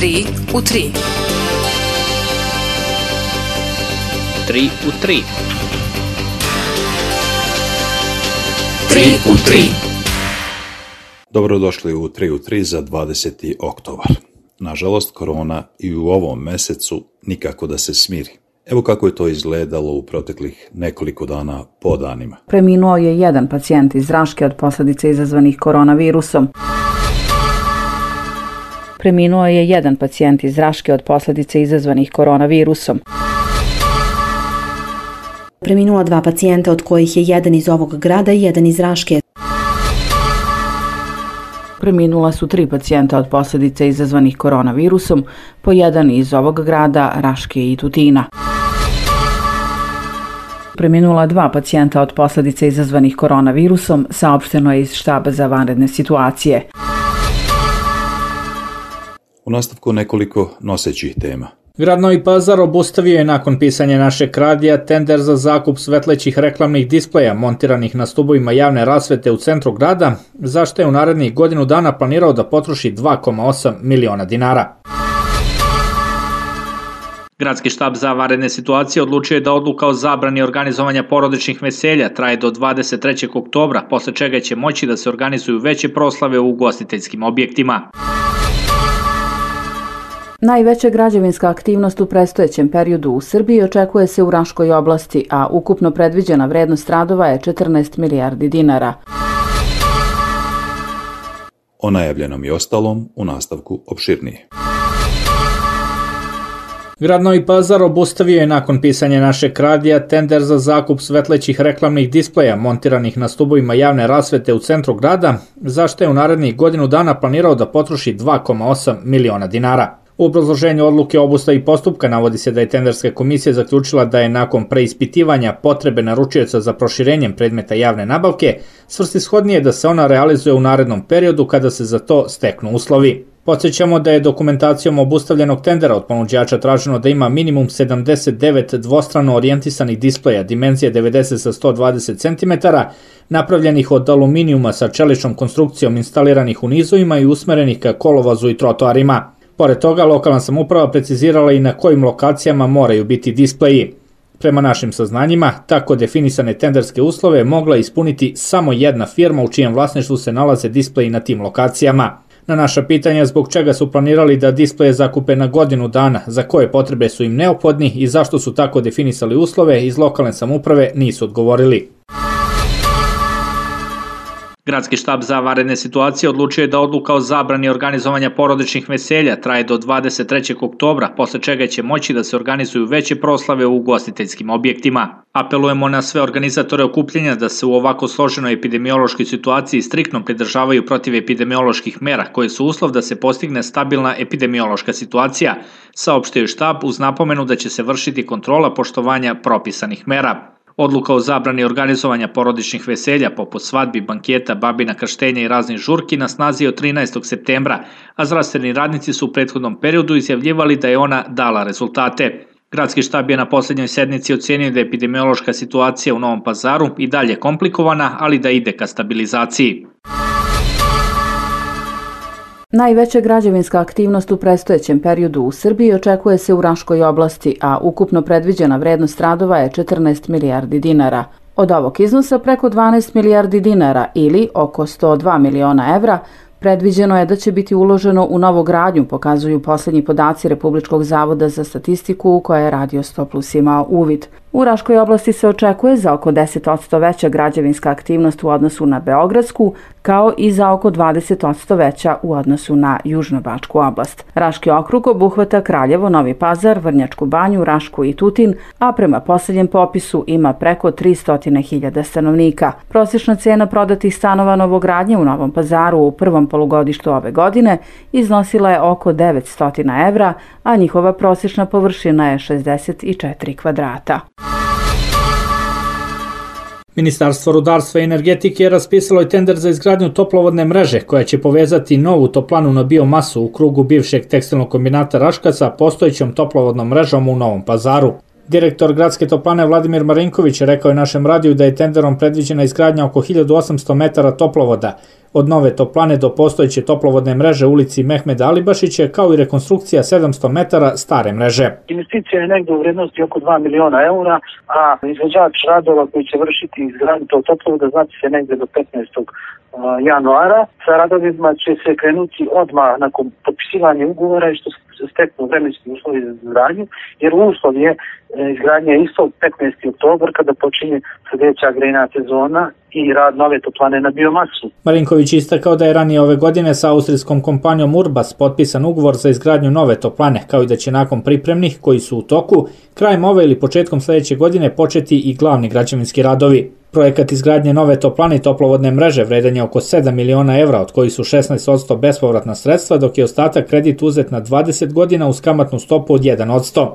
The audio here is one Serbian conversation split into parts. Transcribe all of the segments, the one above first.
3 u 3. 3 u 3. 3 u 3. Dobrodošli u 3 u 3 za 20. oktobar. Nažalost, korona i u ovom mesecu nikako da se smiri. Evo kako je to izgledalo u proteklih nekoliko dana po danima. Preminuo je jedan pacijent iz Raške od posljedica izazvanih koronavirusom. Preminuo je jedan pacijent iz Raške od posljedica izazvanih koronavirusom. Preminula dva pacijenta od kojih je jedan iz ovog grada i jedan iz Raške. Preminula su 3 pacijenta od posljedica izazvanih koronavirusom, po jedan iz ovog grada, Raške i Tutina. Preminula 2 pacijenta od posljedica izazvanih koronavirusom, saopšteno je iz štaba za vanredne situacije. U nastavku nekoliko nosećih tema. Grad Novi Pazar obustavio je nakon pisanja našeg radija tender za zakup svetlećih reklamnih displeja montiranih na stubovima javne rasvete u centru grada, za što je u narednih godinu dana planirao da potroši 2,8 miliona dinara. Gradski štab za vanredne situacije odlučio je da odluka o zabrani organizovanja porodičnih veselja traje do 23. oktobra, posle čega će moći da se organizuju veće proslave u ugostiteljskim objektima. Najveća građevinska aktivnost u predstojećem periodu u Srbiji očekuje se u Raškoj oblasti, a ukupno predviđena vrednost radova je 14 milijardi dinara. O najavljenom i ostalom u nastavku opširnije. Grad Novi Pazar obustavio je nakon pisanja našeg radija tender za zakup svetlećih reklamnih displeja montiranih na stubovima javne rasvete u centru grada, za što je u narednih godinu dana planirao da potroši 2,8 miliona dinara. U obrazloženju odluke o obustavi postupka navodi se da je tenderska komisija zaključila da je nakon preispitivanja potrebe naručioca za proširenjem predmeta javne nabavke svrsishodnije da se ona realizuje u narednom periodu kada se za to steknu uslovi. Podsjećamo da je dokumentacijom obustavljenog tendera od ponuđača traženo da ima minimum 79 dvostrano orijentisanih displeja dimenzije 90 sa 120 cm, napravljenih od aluminijuma sa čeličnom konstrukcijom instaliranih u nizovima i usmerenih ka kolovozu i trotoarima. Pored toga, lokalna samouprava precizirala i na kojim lokacijama moraju biti displeji. Prema našim saznanjima, tako definisane tenderske uslove mogla ispuniti samo jedna firma u čijem vlasništvu se nalaze displeji na tim lokacijama. Na naša pitanja zbog čega su planirali da displeje zakupe na godinu dana, za koje potrebe su im neophodni i zašto su tako definisali uslove, iz lokalne samouprave nisu odgovorili. Gradski štab za vanredne situacije odlučio je da odluka o zabrani organizovanja porodičnih veselja traje do 23. oktobra, posle čega će moći da se organizuju veće proslave u ugostiteljskim objektima. Apelujemo na sve organizatore okupljenja da se u ovako složenoj epidemiološkoj situaciji striktno pridržavaju protivepidemioloških mera koje su uslov da se postigne stabilna epidemiološka situacija, saopštio je štab uz napomenu da će se vršiti kontrola poštovanja propisanih mera. Odluka o zabrani organizovanja porodičnih veselja poput svadbi, banketa, babina krštenja i raznih žurki na snazi od 13. septembra, a zdravstveni radnici su u prethodnom periodu izjavljivali da je ona dala rezultate. Gradski štab je na posljednjoj sednici ocenio da je epidemiološka situacija u Novom Pazaru i dalje komplikovana, ali da ide ka stabilizaciji. Najveća građevinska aktivnost u predstojećem periodu u Srbiji očekuje se u Raškoj oblasti, a ukupno predviđena vrednost radova je 14 milijardi dinara. Od ovog iznosa preko 12 milijardi dinara ili oko 102 miliona evra predviđeno je da će biti uloženo u novogradnju, pokazuju posljednji podaci Republičkog zavoda za statistiku u koje je Radio 100+ imao uvid. U Raškoj oblasti se očekuje za oko 10% veća građevinska aktivnost u odnosu na Beogradsku, kao i za oko 20% veća u odnosu na Južnobačku oblast. Raški okrug obuhvata Kraljevo, Novi Pazar, Vrnjačku Banju, Rašku i Tutin, a prema posljednjem popisu ima preko 300.000 stanovnika. Prosječna cena prodatih stanova novogradnje u Novom Pazaru u prvom polugodištu ove godine iznosila je oko 900 evra, a njihova prosječna površina je 64 kvadrata. Ministarstvo rudarstva i energetike je raspisalo i tender za izgradnju toplovodne mreže koja će povezati novu toplanu na biomasu u krugu bivšeg tekstilnog kombinata Raška sa postojećom toplovodnom mrežom u Novom Pazaru. Direktor gradske toplane Vladimir Marinković rekao je našem radiju da je tenderom predviđena izgradnja oko 1800 metara toplovoda, od nove toplane do postojeće toplovodne mreže u ulici Mehmeda Alibašića, kao i rekonstrukcija 700 metara stare mreže. Investicija je negdje u vrijednosti oko 2 miliona eura, a izvođač radova koji će vršiti izgradnju tog toplovoda znači se negdje do 15. januara. Sa radovima će se krenuti odmah nakon potpisivanja ugovora i što se steknu vremenski uslovi za izgradnju, jer uslov je izgradnja isto 15. oktobar kada počinje sljedeća grejna sezona i rad nove toplane na biomasu. Marinković istakao da je ranije ove godine sa austrijskom kompanijom Urbas potpisan ugovor za izgradnju nove toplane, kao i da će nakon pripremnih koji su u toku, krajem ove ili početkom sljedeće godine početi i glavni građevinski radovi. Projekat izgradnje nove toplane i toplovodne mreže vredan je oko 7 miliona evra, od kojih su 16% bespovratna sredstva, dok je ostatak kredit uzet na 20 godina uz kamatnu stopu od 1%.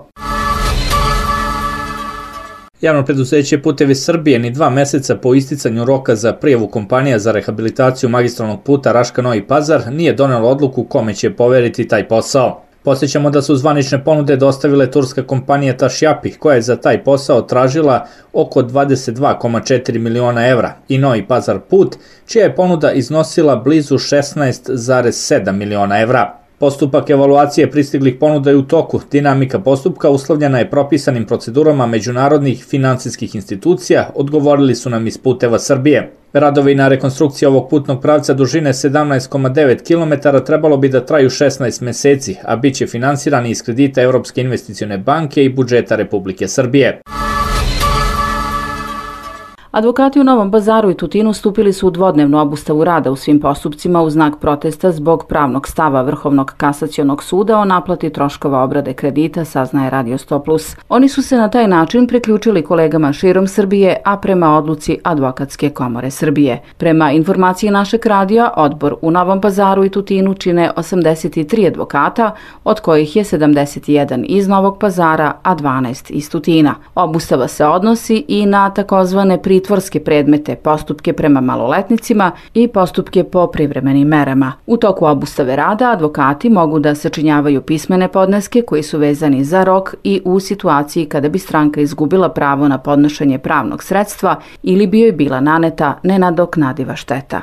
Javno preduzeće Putevi Srbije ni 2 meseca po isticanju roka za prijavu kompanija za rehabilitaciju magistralnog puta Raška-Novi Pazar nije donelo odluku kome će poveriti taj posao. Podsjećamo da su zvanične ponude dostavile turska kompanija Tašjapi, koja je za taj posao tražila oko 22,4 miliona evra, i Novi Pazar put, čija je ponuda iznosila blizu 16,7 miliona evra. Postupak evaluacije pristiglih ponuda je u toku. Dinamika postupka uslovljena je propisanim procedurama međunarodnih finansijskih institucija, odgovorili su nam iz Puteva Srbije. Radovi na rekonstrukciji ovog putnog pravca dužine 17,9 km trebalo bi da traju 16 meseci, a bit će finansirani iz kredita Evropske investicione banke i budžeta Republike Srbije. Advokati u Novom Pazaru i Tutinu stupili su u dvodnevnu obustavu rada u svim postupcima u znak protesta zbog pravnog stava Vrhovnog kasacionog suda o naplati troškova obrade kredita, saznaje Radio 100+. Oni su se na taj način priključili kolegama širom Srbije, a prema odluci Advokatske komore Srbije. Prema informaciji našeg radija, odbor u Novom Pazaru i Tutinu čine 83 advokata, od kojih je 71 iz Novog Pazara, a 12 iz Tutina. Obustava se odnosi i na takozvane pritvorske predmete, postupke prema maloletnicima i postupke po privremenim merama. U toku obustave rada advokati mogu da sačinjavaju pismene podneske koji su vezani za rok i u situaciji kada bi stranka izgubila pravo na podnošenje pravnog sredstva ili bi joj bila naneta nenadoknadiva šteta.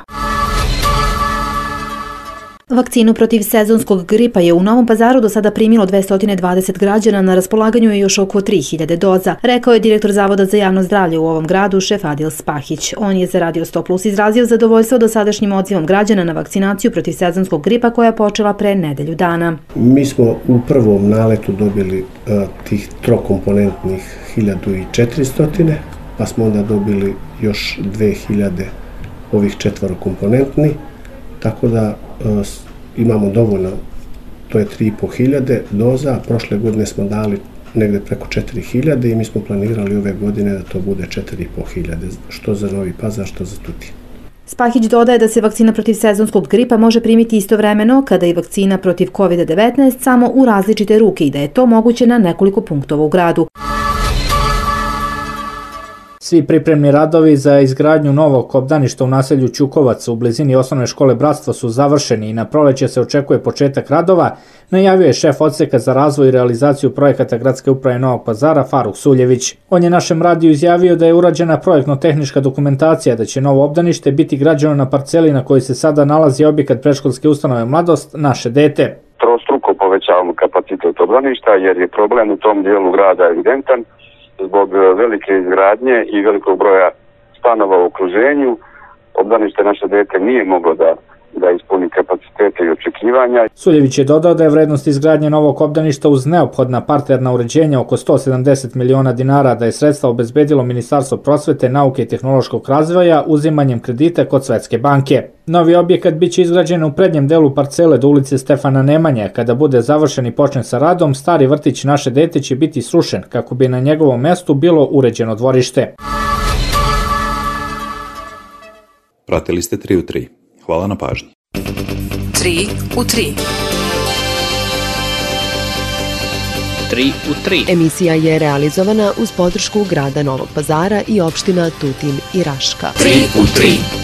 Vakcinu protiv sezonskog gripa je u Novom Pazaru do sada primilo 220 građana, na raspolaganju je još oko 3000 doza, rekao je direktor Zavoda za javno zdravlje u ovom gradu, šef Adil Spahić. On je za Radio 100+ izrazio zadovoljstvo dosadašnjim odzivom građana na vakcinaciju protiv sezonskog gripa koja je počela pre nedelju dana. Mi smo u prvom naletu dobili tih trokomponentnih 1400, pa smo onda dobili još 2000 ovih četvorokomponentni, tako da imamo dovoljno, to je 3500 doza, prošle godine smo dali negde preko 4000 i mi smo planirali ove godine da to bude 4500, što za Novi Pazar, što za Tutin. Spahić dodaje da se vakcina protiv sezonskog gripa može primiti istovremeno kada i vakcina protiv COVID-19, samo u različite ruke, i da je to moguće na nekoliko punktova u gradu. Svi pripremni radovi za izgradnju novog obdaništa u naselju Ćukovac u blizini osnovne škole Bratstvo su završeni i na proleće se očekuje početak radova, najavio je šef odseka za razvoj i realizaciju projekata Gradske uprave Novog Pazara Faruk Suljević. On je našem radiju izjavio da je urađena projektno-tehnička dokumentacija, da će novo obdanište biti građeno na parceli na kojoj se sada nalazi objekat predškolske ustanove Mladost, Naše dete. Trostruko povećavamo kapacitet obdaništa jer je problem u tom dijelu grada evidentan. Zbog velike izgradnje i velikog broja stanova u okruženju, obdanište Naše dete nije moglo da ispuni kapacitete i očekivanja. Suljević je dodao da je vrednost izgradnje novog obdaništa uz neophodna parterna uređenja oko 170 miliona dinara, da je sredstva obezbedilo Ministarstvo prosvete, nauke i tehnološkog razvoja uzimanjem kredita kod Svetske banke. Novi objekat biće izgrađen u prednjem delu parcele do ulice Stefana Nemanje. Kada bude završen i počne sa radom, stari vrtić Naše dete će biti srušen kako bi na njegovom mestu bilo uređeno dvorište. Pratili ste 3 u 3. Hvala na pažnji. 3 u 3. 3 u 3. Emisija je realizovana uz podršku grada Novog Pazara i opština Tutin i Raška. 3 u 3.